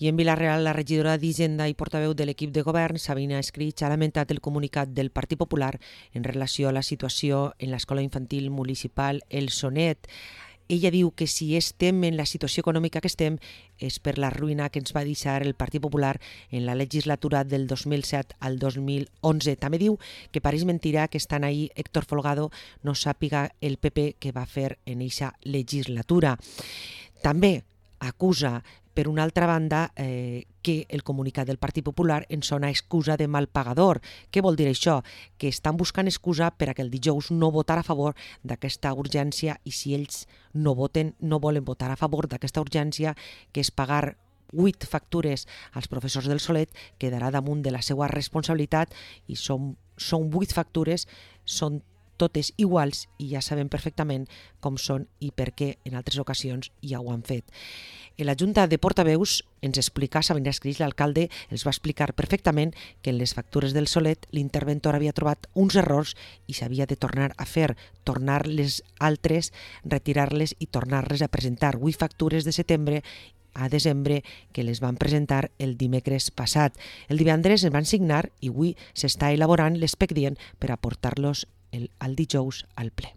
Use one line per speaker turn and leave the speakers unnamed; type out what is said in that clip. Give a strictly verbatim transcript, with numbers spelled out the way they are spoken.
I en Vila-real, la regidora d'Hisenda i portaveu de l'equip de govern, Sabina Escrig, ha lamentat el comunicat del Partit Popular en relació a la situació en l'escola infantil municipal El Sonet. Ella diu que si estem en la situació econòmica que estem és per la ruïna que ens va deixar el Partit Popular en la legislatura del dos mil set al dos mil onze. També diu que pareix mentira que estant ahí Héctor Folgado no sàpiga el P P que va fer en eixa legislatura. També acusa, per una altra banda, eh, que el comunicat del Partit Popular en sona excusa de mal pagador. Què vol dir això? Que estan buscant excusa per a que el dijous no votar a favor d'aquesta urgència, i si ells no voten, no volen votar a favor d'aquesta urgència, que és pagar vuit factures als professors del Solet, quedarà damunt de la seva responsabilitat, i són, són vuit factures, són totes iguals i ja sabem perfectament com són i per què en altres ocasions ja ho han fet. En la Junta de Portaveus ens explica, Sabina Escrig, l'alcalde, els va explicar perfectament que en les factures del Solet l'interventor havia trobat uns errors i s'havia de tornar a fer, tornar les altres, retirar-les i tornar-les a presentar. Vuit factures de setembre a desembre que les van presentar el dimecres passat. El divendres es van signar i avui s'està elaborant l'expedient per aportar-los el, el dijous al ple.